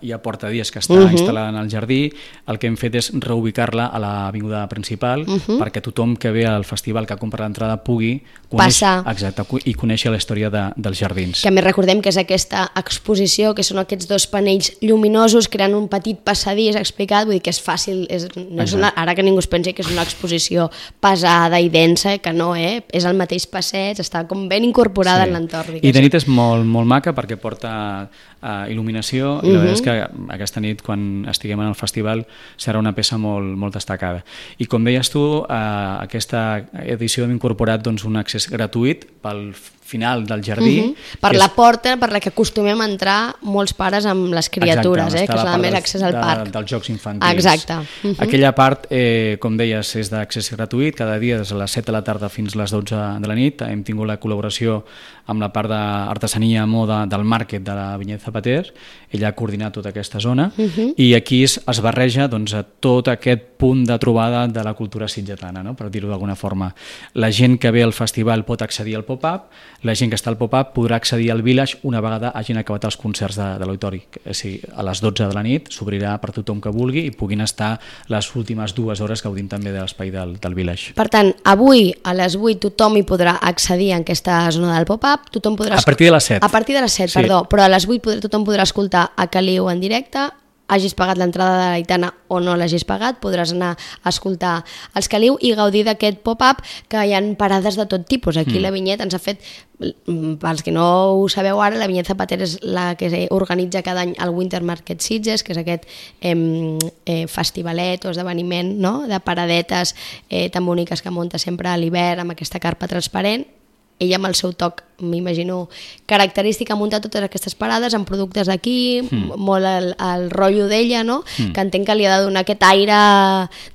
ja porta dies que està uh -huh. instal·lada en el jardí. El que hem fet és reubicar-la a l'avinguda principal uh -huh. perquè tothom que ve al festival, que ha comprat l'entrada, pugui conèixer, passar exacte, i conèixer la història de, dels jardins. Que a més recordem que és aquesta exposició, que són aquests dos panells lluminosos creant un petit passadís explicat, vull dir que és fàcil, és, no és una, ara que ningú es pensi que és una exposició pesada i densa, que no, eh? És el mateix passeig, està com ben incorporada sí. en l'entorn. I de nit és molt, molt maca perquè porta uh, il·luminació i la uh -huh. veritat és que aquesta nit, quan estiguem en el festival, serà una peça molt, molt destacada. I com deies tu, uh, aquesta edició hem incorporat doncs, un accés gratuït pel final del jardí. Uh -huh. Per la és... porta per la que acostumem a entrar molts pares amb les criatures, exacte, eh, que és la més accés al parc. De, dels jocs infantils. Exacte. Uh -huh. Aquella part, eh, com deies, és d'accés gratuït, cada dia des de les set de la tarda fins a les dotze de la nit. Hem tingut la col·laboració amb la part d'artesania moda del Market de la Vinyet Zapater. Ella ha coordinat tota aquesta zona uh -huh. i aquí es, es barreja doncs, a tot aquest punt de trobada de la cultura sitgetana, no? Per dir-ho d'alguna forma. La gent que ve al festival pot accedir al pop-up, la gent que està al pop-up podrà accedir al Village una vegada hagin acabat els concerts de, de l'auditori. O sigui, a les dotze de la nit s'obrirà per tothom que vulgui i puguin estar les últimes dues hores gaudint també de l'espai del, del Village. Per tant, avui a les vuit tothom hi podrà accedir en aquesta zona del pop-up. Tothom podrà... A partir de les set. A partir de les set, sí. Perdó. Però a les vuit podrà, tothom podrà escoltar a Caliu en directe, hagis pagat l'entrada de l'Aitana o no l'hagis pagat, podràs anar a escoltar els Caliu i gaudir d'aquest pop-up, que hi ha parades de tot tipus. Aquí mm. la Vinyet ens ha fet, pels que no ho sabeu ara, la Vinyet Zapater és la que organitza cada any el Winter Market Sitges, que és aquest eh, eh, festivalet o esdeveniment, no?, de paradetes eh, tan boniques que munta sempre a l'hivern amb aquesta carpa transparent. Ella amb el seu toc, m'imagino, característic, ha muntat totes aquestes parades amb productes d'aquí, mm. molt el, el rotllo d'ella, no? Mm. Que entenc que li ha de donar aquest aire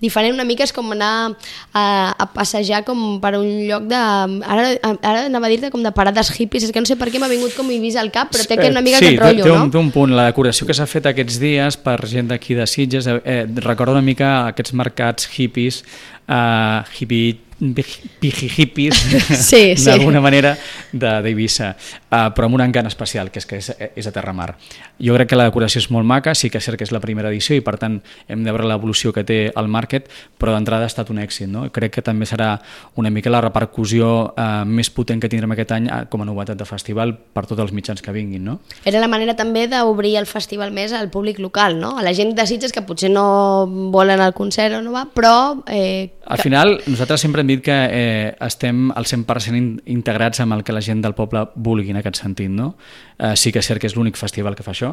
diferent. Una mica és com anar a, a passejar com per un lloc de... Ara, ara anava a dir-te com de parades hippies, és que no sé per què m'ha vingut com Eivissa al cap, però té que una mica sí, aquest rotllo, té un, no? té un punt. La decoració que s'ha fet aquests dies per gent d'aquí de Sitges, eh, recorda una mica aquests mercats hippies, uh, hippie pijihipis, sí, sí. d'alguna manera, d'Eivissa, uh, però amb un encant especial, que és que és, és a Terramar. Jo crec que la decoració és molt maca, sí que és cert que és la primera edició i per tant hem de veure l'evolució que té el Market, però d'entrada ha estat un èxit, no? Crec que també serà una mica la repercussió uh, més potent que tindrem aquest any com a novetat de festival per tots els mitjans que vinguin, no? Era la manera també d'obrir el festival més al públic local, no? A la gent de Sitges que potser no volen el concert o no va, però... Eh, al final, nosaltres sempre hem dit que eh, estem al cent per cent integrats amb el que la gent del poble vulgui en aquest sentit, no? Eh, sí que és cert que és l'únic festival que fa això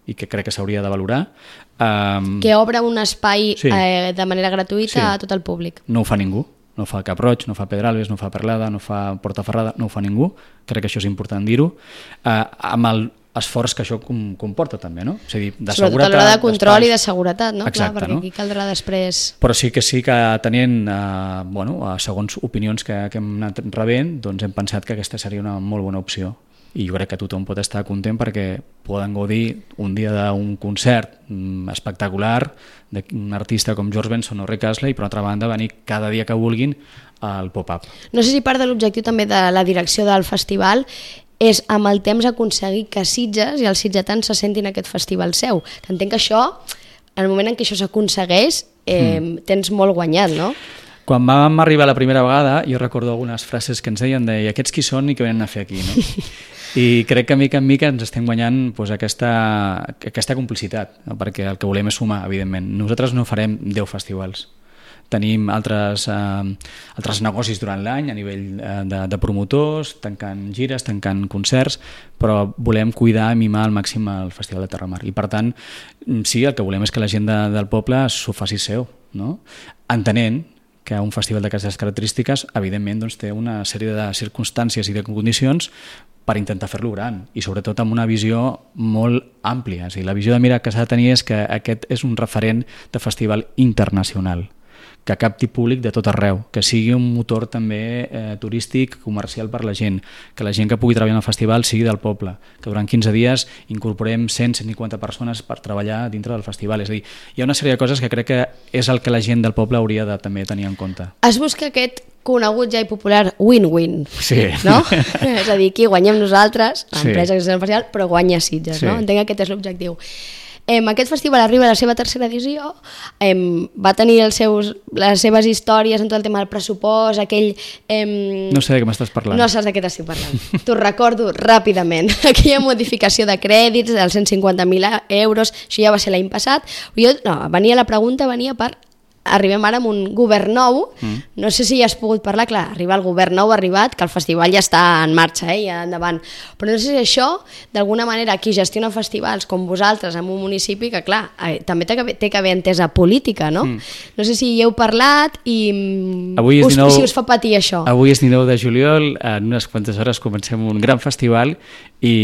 i que crec que s'hauria de valorar. Um, que obre un espai sí. eh, de manera gratuïta sí. a tot el públic. No ho fa ningú. No fa Cap Roig, no fa Pedralbes, no fa Perlada, no fa Portaferrada, no ho fa ningú. Crec que això és important dir-ho. Eh, amb el esforç que això comporta també, no? És a dir, de sobretot seguretat, a l'hora de control i de seguretat, no? Exacte, clar, perquè no? aquí caldrà després... Però sí que sí que tenint, eh, bueno, segons opinions que, que hem anat rebent, doncs hem pensat que aquesta seria una molt bona opció. I jo crec que tothom pot estar content perquè poden gaudir un dia d'un concert espectacular d'un artista com George Benson o Rick Astley i per altra banda venir cada dia que vulguin al pop-up. No sé si part de l'objectiu també de la direcció del festival és amb el temps aconseguir que Sitges i els sitgetans se sentin aquest festival seu. Que entenc que això, en el moment en què això s'aconsegueix, eh, mm. tens molt guanyat, no? Quan vam arribar la primera vegada, jo recordo algunes frases que ens deien de aquests qui són i què venen a fer aquí, no? I crec que mica en mica ens estem guanyant doncs, aquesta, aquesta complicitat, no? Perquè el que volem és sumar, evidentment. Nosaltres no farem deu festivals. Tenim altres, eh, altres negocis durant l'any a nivell eh, de, de promotors, tancant gires, tancant concerts, però volem cuidar i mimar al màxim el Festival de Terramar. I per tant, sí, el que volem és que la gent de, del poble s'ho faci seu, no? Entenent que un festival d'aquestes característiques, evidentment, doncs, té una sèrie de circumstàncies i de condicions per intentar fer-lo gran i sobretot amb una visió molt àmplia. O sigui, la visió de mira que s'ha de tenir és que aquest és un referent de festival internacional. que capti públic de tot arreu, que sigui un motor també eh, turístic, comercial per la gent, que la gent que pugui treballar en el festival sigui del poble, que durant quinze dies incorporem cent a cent cinquanta persones per treballar dintre del festival. És a dir, hi ha una sèrie de coses que crec que és el que la gent del poble hauria de també tenir en compte. Es busca aquest conegut ja i popular win-win, sí. no? És a dir, aquí guanyem nosaltres, l'empresa sí. que és el festival, però guanya Sitges, sí. no? Entenc que aquest és l'objectiu. Em, aquest festival arriba a la seva tercera edició, em, va tenir els seus, les seves històries en tot el tema del pressupost, aquell... Em, no sé de què m'estàs parlant. No saps de què t'estic parlant. T'ho recordo ràpidament. Aquella modificació de crèdits dels cent cinquanta mil euros, això ja va ser l'any passat. Jo, no, venia la pregunta, venia per... Arribem ara amb un govern nou, mm. no sé si ja has pogut parlar, clar, arriba el govern nou, ha arribat, que el festival ja està en marxa, eh, ja endavant, però no sé si això, d'alguna manera, qui gestiona festivals com vosaltres en un municipi, que clar, eh, també té que, té que haver entesa política, no? Mm. No sé si hi heu parlat i avui us, dinou, si us fa patir això. Avui és dinou de juliol, en unes quantes hores comencem un gran festival i,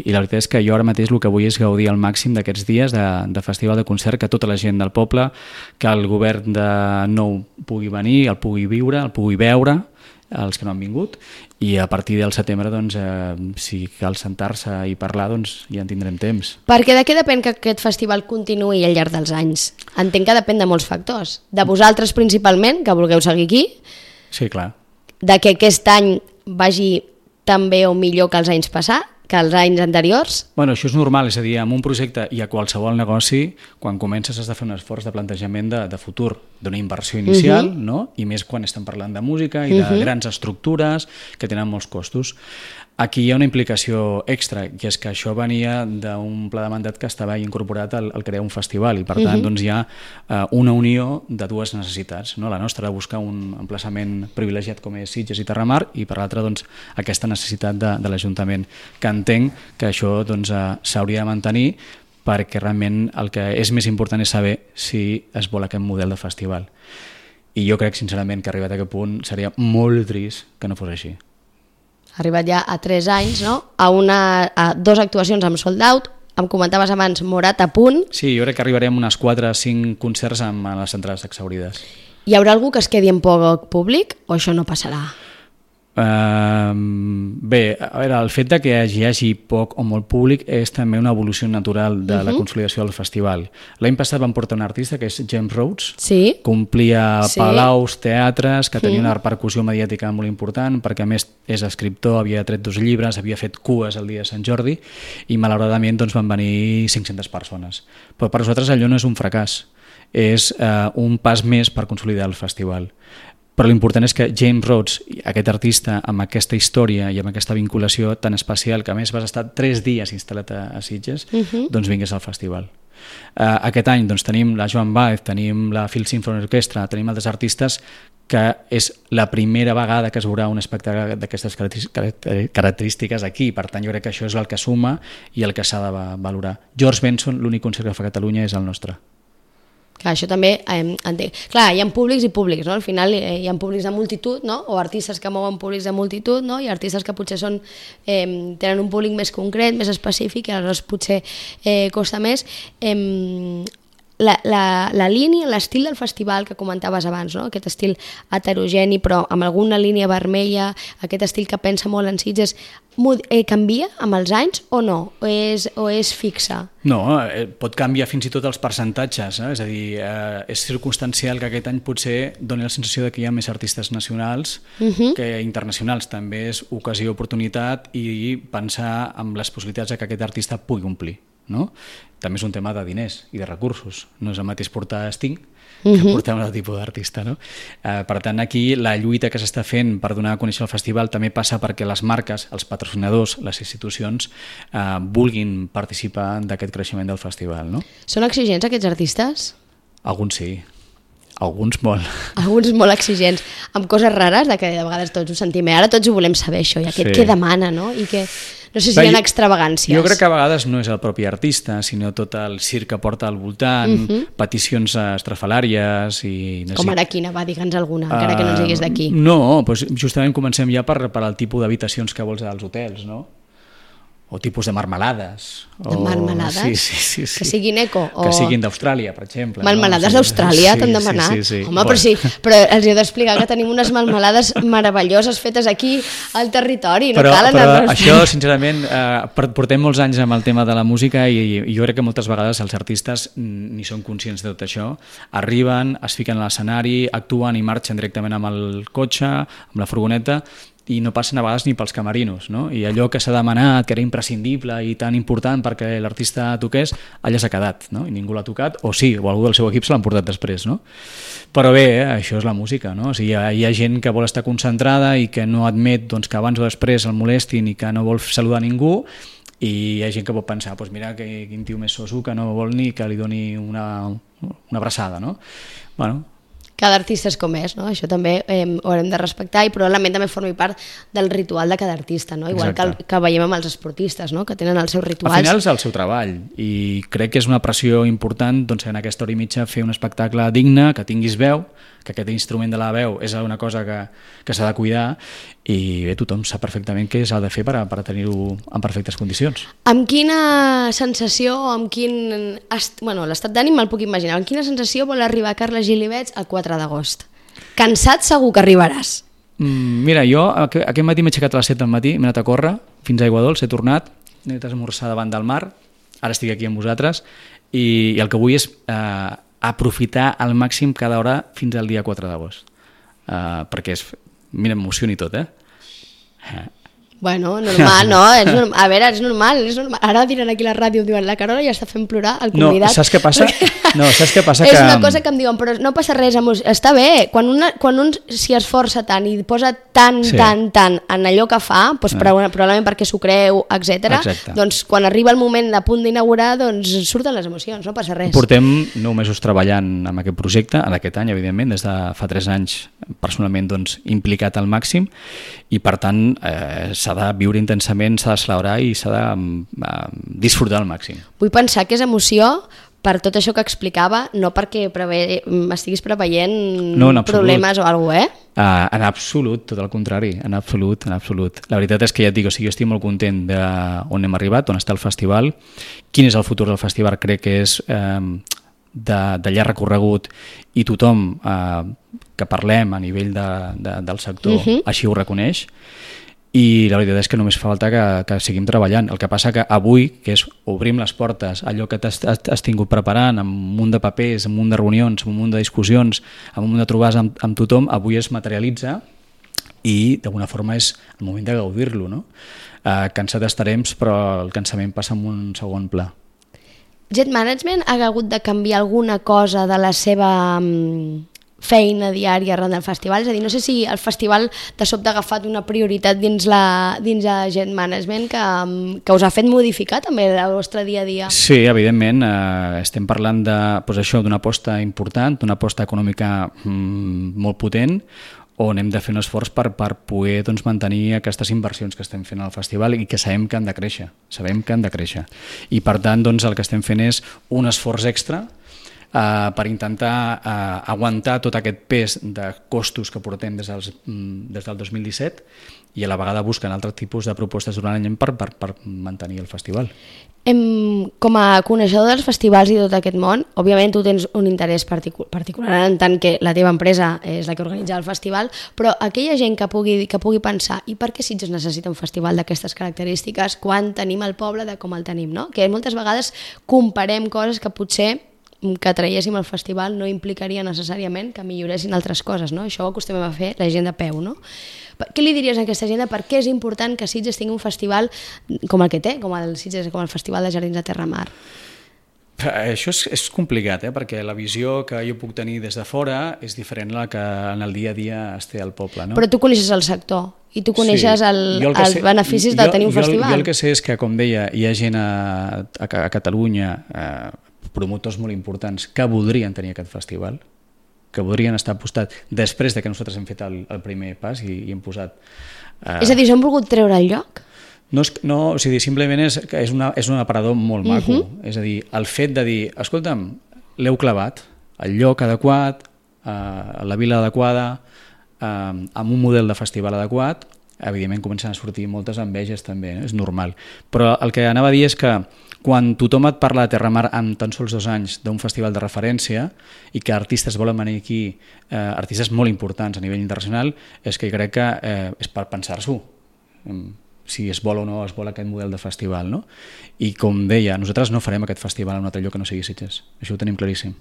i la veritat és que jo ara mateix el que vull és gaudir al màxim d'aquests dies de, de festival, de concert, que tota la gent del poble, que el govern de nou pugui venir, el pugui viure, el pugui veure, els que no han vingut, i a partir del setembre, doncs, eh, si cal sentar-se i parlar, doncs ja en tindrem temps. Perquè de què depèn que aquest festival continuï al llarg dels anys? Entenc que depèn de molts factors. De vosaltres principalment, que vulgueu seguir aquí. Sí, clar. De que aquest any vagi tan bé o millor que els anys passats, que els anys anteriors? Bueno, això és normal, és a dir, en un projecte i a qualsevol negoci, quan comences has de fer un esforç de plantejament de, de futur, d'una inversió inicial, uh-huh. no? I més quan estem parlant de música i de uh-huh. grans estructures que tenen molts costos. Aquí hi ha una implicació extra, i és que això venia d'un pla de mandat que estava incorporat al, al crear un festival, i per tant uh-huh. doncs, hi ha uh, una unió de dues necessitats, no? La nostra de buscar un emplaçament privilegiat com és Sitges i Terramar, i per l'altra doncs, aquesta necessitat de, de l'Ajuntament, que entenc que això doncs, uh, s'hauria de mantenir, perquè realment el que és més important és saber si es vol aquest model de festival. I jo crec sincerament que arribat a aquest punt seria molt trist que no fos així. Ha arribat ja a tres anys, no? A, una, a dos actuacions amb sold out, em comentaves abans Morat a punt. Sí, jo crec que arribarem a unes quatre o cinc concerts amb les entrades exhaurides. Hi haurà algú que es quedi en poc públic o això no passarà? Uh, bé, a veure, el fet de que hi hagi poc o molt públic és també una evolució natural de uh-huh. la consolidació del festival. L'any passat vam portar un artista que és James Rhodes, sí. que omplia sí. palaus, teatres, que tenia uh-huh. una repercussió mediàtica molt important, perquè a més és escriptor, havia tret dos llibres, havia fet cues el dia de Sant Jordi, i malauradament doncs, van venir cinc-centes persones. Però per nosaltres allò no és un fracàs, és uh, un pas més per consolidar el festival. Però l'important és que James Rhodes, aquest artista, amb aquesta història i amb aquesta vinculació tan especial, que a més vas estar tres dies instal·lat a, a Sitges, uh-huh. doncs vingués al festival. Uh, aquest any doncs, tenim la Joan Baez, tenim la Phil Symphony Orchestra, tenim altres artistes que és la primera vegada que es veurà un espectacle d'aquestes característiques aquí, per tant jo crec que això és el que suma i el que s'ha de valorar. George Benson, l'únic concert que fa a Catalunya és el nostre. Clar, això també eh, entenc. Clar, hi ha públics i públics, no? Al final eh, hi ha públics de multitud, no? O artistes que mouen públics de multitud, no? I artistes que potser són, eh, tenen un públic més concret, més específic, i aleshores potser eh, costa més. Eh, la, la, la línia, l'estil del festival que comentaves abans, no? Aquest estil heterogeni però amb alguna línia vermella, aquest estil que pensa molt en Sitges, eh, canvia amb els anys o no? O és, o és fixa? No, eh, pot canviar fins i tot els percentatges, eh? És a dir, eh, és circumstancial que aquest any potser doni la sensació de que hi ha més artistes nacionals uh-huh. que internacionals. També és ocasió, oportunitat i pensar en les possibilitats de que aquest artista pugui omplir. No? També és un tema de diners i de recursos, no és el mateix portar Sting que uh-huh. portar un altre tipus d'artista, no? Eh, per tant, aquí la lluita que s'està fent per donar a conèixer el festival també passa perquè les marques, els patrocinadors, les institucions eh, vulguin participar d'aquest creixement del festival, no? Són exigents aquests artistes? Alguns sí, alguns molt. Alguns molt exigents, amb coses rares de que de vegades tots ho sentim, ara tots ho volem saber això, i aquest sí. què demana, no? I que no sé si Bé, hi ha extravagàncies. Jo crec que a vegades no és el propi artista, sinó tot el circ que porta al voltant, uh-huh. peticions estrafalàries i... No Com sé. ara quina, va, digue'ns alguna, encara uh, que no ens diguis d'aquí. No, doncs justament comencem ja per, per el tipus d'habitacions que vols als hotels, no? o tipus de marmelades. De marmelades? Sí, sí, sí, sí. Que siguin eco? O... Que siguin d'Austràlia, per exemple. Marmelades no? d'Austràlia, sí, t'han demanat? Sí, sí, sí. Home, però sí, però els he d'explicar que tenim unes marmelades meravelloses fetes aquí al territori, no però, cal però anar-nos... això, sincerament, eh, portem molts anys amb el tema de la música i, i jo crec que moltes vegades els artistes ni són conscients de tot això. Arriben, es fiquen a l'escenari, actuen i marxen directament amb el cotxe, amb la furgoneta, i no passen a vegades ni pels camerinos, no? I allò que s'ha demanat, que era imprescindible i tan important perquè l'artista toqués, allà s'ha quedat, no? I ningú l'ha tocat, o sí, o algú del seu equip se l'han portat després, no? Però bé, eh, això és la música, no? O sigui, hi ha, hi ha gent que vol estar concentrada i que no admet doncs, que abans o després el molestin i que no vol saludar ningú, i hi ha gent que pot pensar, doncs mira que, quin tio més soso que no vol ni que li doni una, una abraçada, no? Bueno, cada artista és com és, no? Això també eh, ho haurem de respectar i probablement també formi part del ritual de cada artista, no? Igual que, el, que veiem amb els esportistes, no? Que tenen els seus rituals. Al final és el seu treball i crec que és una pressió important doncs, en aquesta hora i mitja fer un espectacle digne, que tinguis veu, que aquest instrument de la veu és una cosa que, que s'ha de cuidar i bé, tothom sap perfectament què s'ha de fer per, a, per a tenir-ho en perfectes condicions. Amb quina sensació, amb quin... Est... Bueno, l'estat d'ànim me'l puc imaginar. Amb quina sensació vol arribar Carles Gilivets el quatre d'agost? Cansat segur que arribaràs. Mm, mira, jo aquest, aquest matí m'he aixecat a les set del matí, m'he anat a córrer fins a Aigua Dols, he tornat, he anat a esmorzar davant del mar, ara estic aquí amb vosaltres i, i el que vull és eh, aprofitar al màxim cada hora fins al dia quatre d'agost. Uh, perquè és... Mira, m'emociona i tot, eh? Bueno, normal, no? És normal. A veure, és normal, és normal. Ara diran aquí a la ràdio, diuen, la Carola ja està fent plorar el convidat. No, saps què passa? No, saps què passa? És que... una cosa que em diuen, però no passa res, amos... està bé. Quan, una, quan un s'hi esforça tant i posa tant, sí. tant, tant en allò que fa, doncs, ah. probablement perquè s'ho creu, etcètera, doncs quan arriba el moment a punt d'inaugurar, doncs surten les emocions, no passa res. Portem nou mesos treballant amb aquest projecte, en aquest any, evidentment, des de fa tres anys personalment doncs, implicat al màxim i per tant eh, s'ha de viure intensament, s'ha de celebrar i s'ha de eh, disfrutar al màxim. Vull pensar que és emoció per tot això que explicava, no perquè preve... estiguis preveient no, problemes o alguna cosa, eh? Uh, en absolut, tot el contrari, en absolut, en absolut. La veritat és que ja et dic, o sigui, jo estic molt content d'on hem arribat, on està el festival, quin és el futur del festival, crec que és eh, de, de llarg recorregut i tothom eh, que parlem a nivell de, de, del sector uh-huh. així ho reconeix. I la veritat és que només fa falta que, que seguim treballant. El que passa que avui, que és obrim les portes, allò que t'has has tingut preparant amb un munt de papers, amb un munt de reunions, amb un munt de discussions, amb un munt de trobades amb, amb tothom, avui es materialitza i d'alguna forma és el moment de gaudir-lo, no? Eh, cansat estarem, però el cansament passa en un segon pla. Jet Management ha hagut de canviar alguna cosa de la seva feina diària arran del festival? És a dir, no sé si el festival de sobte ha agafat una prioritat dins la dins de Jet Management que, que us ha fet modificar també el vostre dia a dia. Sí, evidentment, eh, estem parlant de, doncs això, d'una aposta important, d'una aposta econòmica mm, molt potent, on hem de fer un esforç per, per poder doncs, mantenir aquestes inversions que estem fent al festival i que sabem que han de créixer, sabem que han de créixer. I per tant, doncs, el que estem fent és un esforç extra Uh, per intentar uh, aguantar tot aquest pes de costos que portem des, dels, mm, des del dos mil disset i a la vegada busquen altres tipus de propostes durant l'any per, per, per mantenir el festival. Em, com a coneixedor dels festivals i tot aquest món, òbviament tu tens un interès particular, particular en tant que la teva empresa és la que organitza el festival, però aquella gent que pugui, que pugui pensar i per què Sitges necessita un festival d'aquestes característiques quan tenim el poble de com el tenim, no? Que moltes vegades comparem coses que potser que traiéssim el festival no implicaria necessàriament que milloressin altres coses, no? Això ho acostumem a fer la gent de peu, no? Què li diries a aquesta gent de per què és important que Sitges tingui un festival com el que té, com el Sitges, com el Festival de Jardins de Terramar? Això és, és complicat, eh? Perquè la visió que jo puc tenir des de fora és diferent a la que en el dia a dia es té al poble, no? Però tu coneixes el sector i tu coneixes sí. el, el els sé, beneficis de jo, tenir un jo, festival. Jo el que sé és que, com deia, hi ha gent a, a, a Catalunya, eh, promotors molt importants que voldrien tenir aquest festival, que voldrien estar apostat després de que nosaltres hem fet el, el primer pas i, i hem posat... Eh... És a dir, s'han volgut treure el lloc? No, és, no, o sigui, simplement és, és, una, és un aparador molt maco. Uh-huh. És a dir, el fet de dir, escolta'm, l'heu clavat, el lloc adequat, eh, la vila adequada, eh, amb un model de festival adequat, evidentment comencen a sortir moltes enveges també, no? És normal. Però el que anava a dir és que quan tothom et parla de Terramar amb tan sols dos anys d'un festival de referència i que artistes volen venir aquí, eh, artistes molt importants a nivell internacional, és que crec que eh, és per pensar-s'ho, si es vol o no es vol aquest model de festival, no? I com deia, nosaltres no farem aquest festival en un altre lloc que no sigui Sitges, això ho tenim claríssim.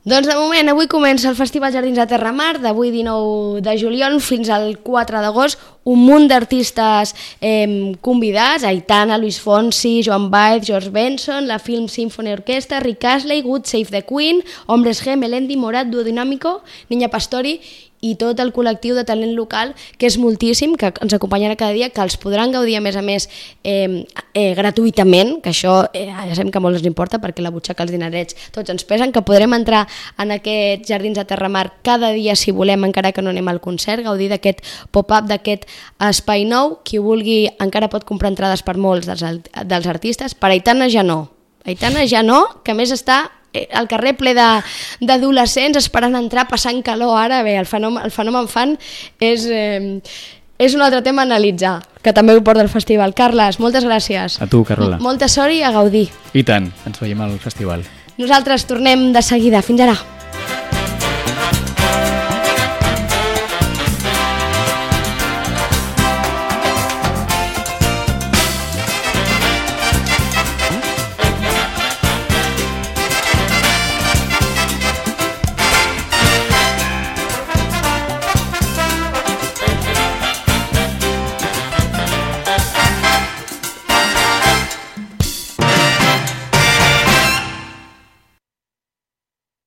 Doncs de moment, avui comença el Festival Jardins de Terramar, d'avui dinou de juliol fins al quatre d'agost, un munt d'artistes eh, convidats, Aitana, Luis Fonsi, Joan Baez, George Benson, la Film Symphony Orchestra, Rick Astley, Good Save the Queen, Hombres G, Melendi, Morat, Duo Dinámico, Niña Pastori i tot el col·lectiu de talent local, que és moltíssim, que ens acompanyarà cada dia, que els podran gaudir a més a més eh, eh, gratuïtament, que això eh, ja sabem que molt ens importa perquè la butxaca, els dinerets, tots ens pesen, que podrem entrar en aquests Jardins de Terramar cada dia si volem, encara que no anem al concert, gaudir d'aquest pop-up, d'aquest espai nou. Qui vulgui encara pot comprar entrades per molts dels, dels artistes, per Aitana ja no. Aitana ja no, que a més està al carrer ple d'adolescents esperant entrar, passant calor ara. Bé, el fenomen, el fenomen fan és, eh, és un altre tema a analitzar, que també ho porta el festival. Carles, moltes gràcies. A tu, Carola. Molta sort i a gaudir. I tant, ens veiem al festival. Nosaltres tornem de seguida. Fins ara.